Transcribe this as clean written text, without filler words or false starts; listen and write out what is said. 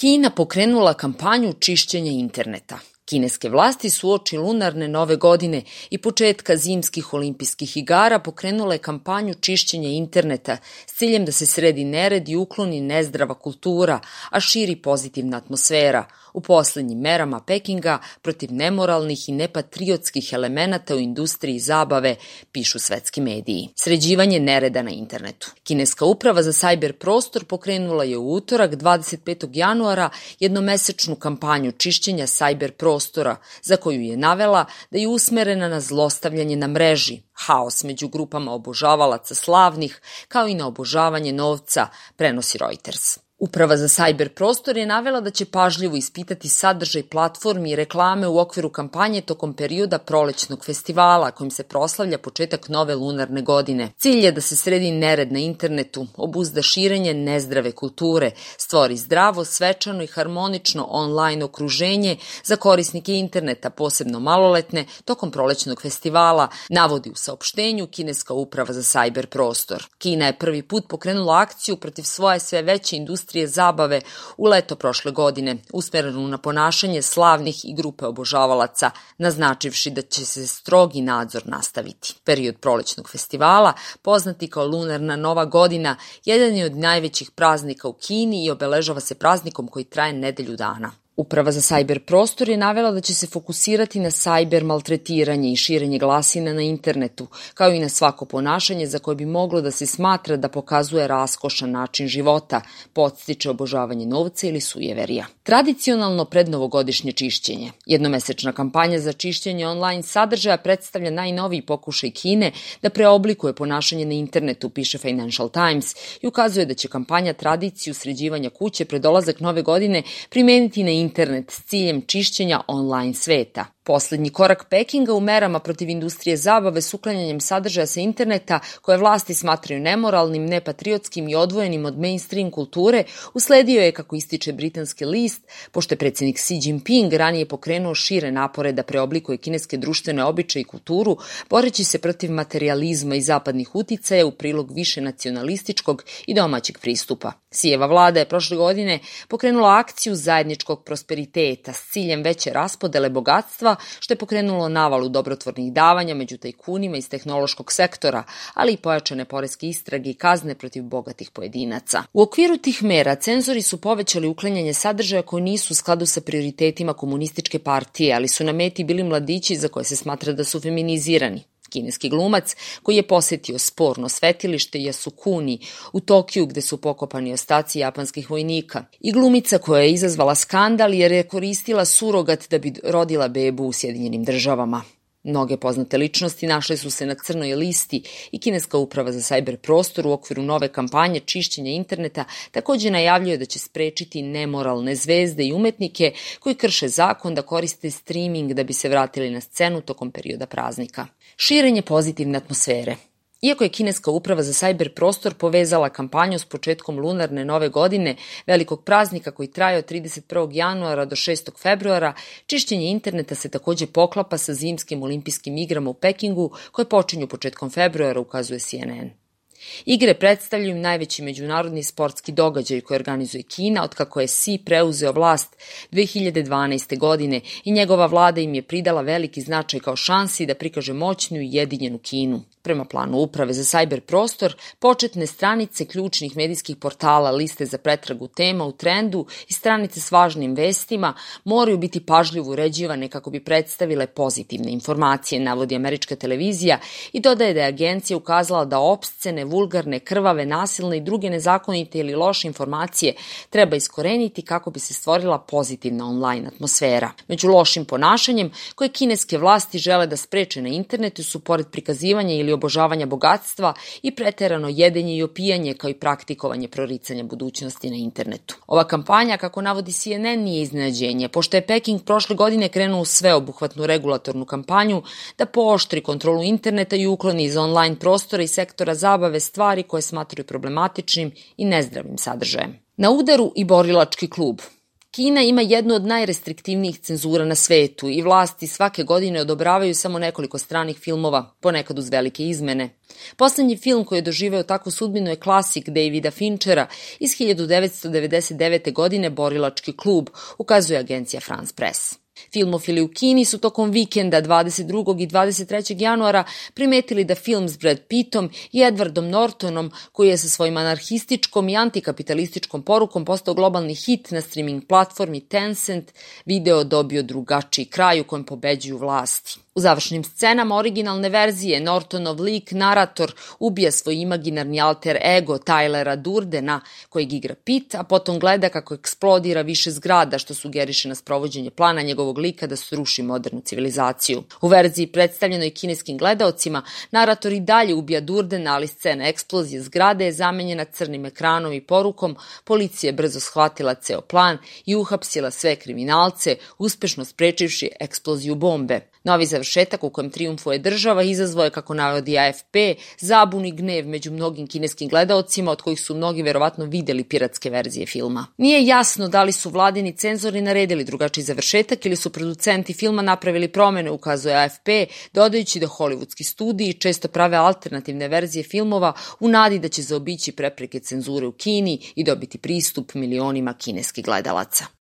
Kina pokrenula kampanju čišćenja interneta. Kineske vlasti su uoči lunarne nove godine i početka zimskih olimpijskih igara pokrenule kampanju čišćenja interneta s ciljem da se sredi nered i ukloni nezdrava kultura, a širi pozitivna atmosfera u poslednjim merama Pekinga protiv nemoralnih i nepatriotskih elemenata u industriji zabave, pišu svetski mediji. Sređivanje nereda na internetu. Kineska uprava za sajber prostor pokrenula je u utorak 25. januara jednomesečnu kampanju čišćenja sajber prostora, za koju je navela da je usmerena na zlostavljanje na mreži, haos među grupama obožavalaca slavnih, kao i na obožavanje novca, prenosi Reuters. Uprava za sajber prostor je navela da će pažljivo ispitati sadržaj platformi i reklame u okviru kampanje tokom perioda prolećnog festivala kojim se proslavlja početak nove lunarne godine. Cilj je da se sredi nered na internetu, obuzda širenje nezdrave kulture, stvori zdravo, svečano i harmonično online okruženje za korisnike interneta, posebno maloletne, tokom prolećnog festivala, navodi u saopštenju Kineska uprava za sajber prostor. Kina je prvi put pokrenula akciju protiv svoje sve veće industrije zabave u leto prošle godine, usmerenu na ponašanje slavnih i grupe obožavalaca, naznačivši da će se strogi nadzor nastaviti. Period prolećnog festivala, poznati kao lunarna nova godina, jedan je od najvećih praznika u Kini i obeležava se praznikom koji traje nedelju dana. Uprava za sajber prostor je navela da će se fokusirati na sajber maltretiranje i širenje glasina na internetu, kao i na svako ponašanje za koje bi moglo da se smatra da pokazuje raskošan način života, podstiče obožavanje novca ili sujeverija. Tradicionalno prednovogodišnje čišćenje. Jednomesečna kampanja za čišćenje online sadržaja predstavlja najnoviji pokušaj Kine da preoblikuje ponašanje na internetu, piše Financial Times, i ukazuje da će kampanja tradiciju sređivanja kuće pred dolazak nove godine primeniti na internet s ciljem čišćenja online sveta. Poslednji korak Pekinga u merama protiv industrije zabave s uklanjanjem sadržaja sa interneta koje vlasti smatraju nemoralnim, nepatriotskim i odvojenim od mainstream kulture usledio je, kako ističe britanski list, pošto je predsjednik Xi Jinping ranije pokrenuo šire napore da preoblikuje kineske društvene običaje i kulturu, boreći se protiv materijalizma i zapadnih uticaja u prilog više nacionalističkog i domaćeg pristupa. Xijeva vlada je prošle godine pokrenula akciju zajedničkog prosperiteta s ciljem veće raspodele bogatstva, što je pokrenulo navalu dobrotvornih davanja među tajkunima iz tehnološkog sektora, ali i pojačane poreske istrage i kazne protiv bogatih pojedinaca. U okviru tih mera cenzori su povećali uklanjanje sadržaja koji nisu u skladu sa prioritetima komunističke partije, ali su na meti bili mladići za koje se smatra da su feminizirani. Kineski glumac koji je posetio sporno svetilište Yasukuni u Tokiju gde su pokopani ostaci japanskih vojnika i glumica koja je izazvala skandal jer je koristila surogat da bi rodila bebu u Sjedinjenim Državama. Mnoge poznate ličnosti našle su se na crnoj listi i Kineska uprava za sajber prostor u okviru nove kampanje čišćenja interneta takođe najavljuje da će sprečiti nemoralne zvezde i umetnike koji krše zakon da koriste streaming da bi se vratili na scenu tokom perioda praznika. Širenje pozitivne atmosfere. Iako je Kineska uprava za sajber prostor povezala kampanju s početkom lunarne nove godine, velikog praznika koji traje od 31. januara do 6. februara, čišćenje interneta se takođe poklapa sa zimskim olimpijskim igrama u Pekingu koje počinju početkom februara, ukazuje CNN. Igre predstavljaju najveći međunarodni sportski događaj koji organizuje Kina otkako je Xi preuzeo vlast 2012. godine i njegova vlada im je pridala veliki značaj kao šansi da prikaže moćnu i jedinjenu Kinu. Prema planu uprave za sajber prostor, početne stranice ključnih medijskih portala, liste za pretragu tema u trendu i stranice s važnim vestima moraju biti pažljivo uređivane kako bi predstavile pozitivne informacije, navodi američka televizija i dodaje da je agencija ukazala da opscene, vulgarne, krvave, nasilne i druge nezakonite ili loše informacije treba iskoreniti kako bi se stvorila pozitivna online atmosfera. Među lošim ponašanjem koje kineske vlasti žele da spreče na internetu su pored prikazivanja ili obožavanja bogatstva i preterano jedenje i opijanje kao i praktikovanje proricanja budućnosti na internetu. Ova kampanja, kako navodi CNN, nije iznenađenje, pošto je Peking prošle godine krenuo u sveobuhvatnu regulatornu kampanju da pooštri kontrolu interneta i ukloni iz online prostora i sektora zabave stvari koje smatraju problematičnim i nezdravim sadržajem. Na udaru i borilački klub. Kina ima jednu od najrestriktivnijih cenzura na svetu i vlasti svake godine odobravaju samo nekoliko stranih filmova, ponekad uz velike izmene. Poslednji film koji je doživeo takvu sudbinu je klasik Davida Finchera iz 1999. godine Borilački klub, ukazuje agencija France Press. Filmofili u Kini su tokom vikenda 22. i 23. januara primetili da film s Brad Pittom i Edwardom Nortonom, koji je sa svojim anarhističkom i antikapitalističkom porukom postao globalni hit na streaming platformi Tencent, video dobio drugačiji kraj u kojem pobeđuju vlasti. U završnim scenama originalne verzije Nortonov lik, narator, ubija svoj imaginarni alter ego Tylera Durdena, kojeg igra Pitt, a potom gleda kako eksplodira više zgrada, što sugeriše na sprovođenje plana njegovog lika da sruši modernu civilizaciju. U verziji predstavljenoj kineskim gledaocima, narator i dalje ubija Durdena, ali scena eksplozije zgrade je zamenjena crnim ekranom i porukom: policija je brzo shvatila ceo plan i uhapsila sve kriminalce, uspešno sprečivši eksploziju bombe. Novi završetak u kojem trijumfuje država izazvao je, kako navodi AFP, zabun i gnev među mnogim kineskim gledaocima, od kojih su mnogi verovatno videli piratske verzije filma. Nije jasno da li su vladini cenzori naredili drugačiji završetak ili su producenti filma napravili promene, ukazuje AFP, dodajući da hollywoodski studiji često prave alternativne verzije filmova u nadi da će zaobići prepreke cenzure u Kini i dobiti pristup milionima kineskih gledalaca.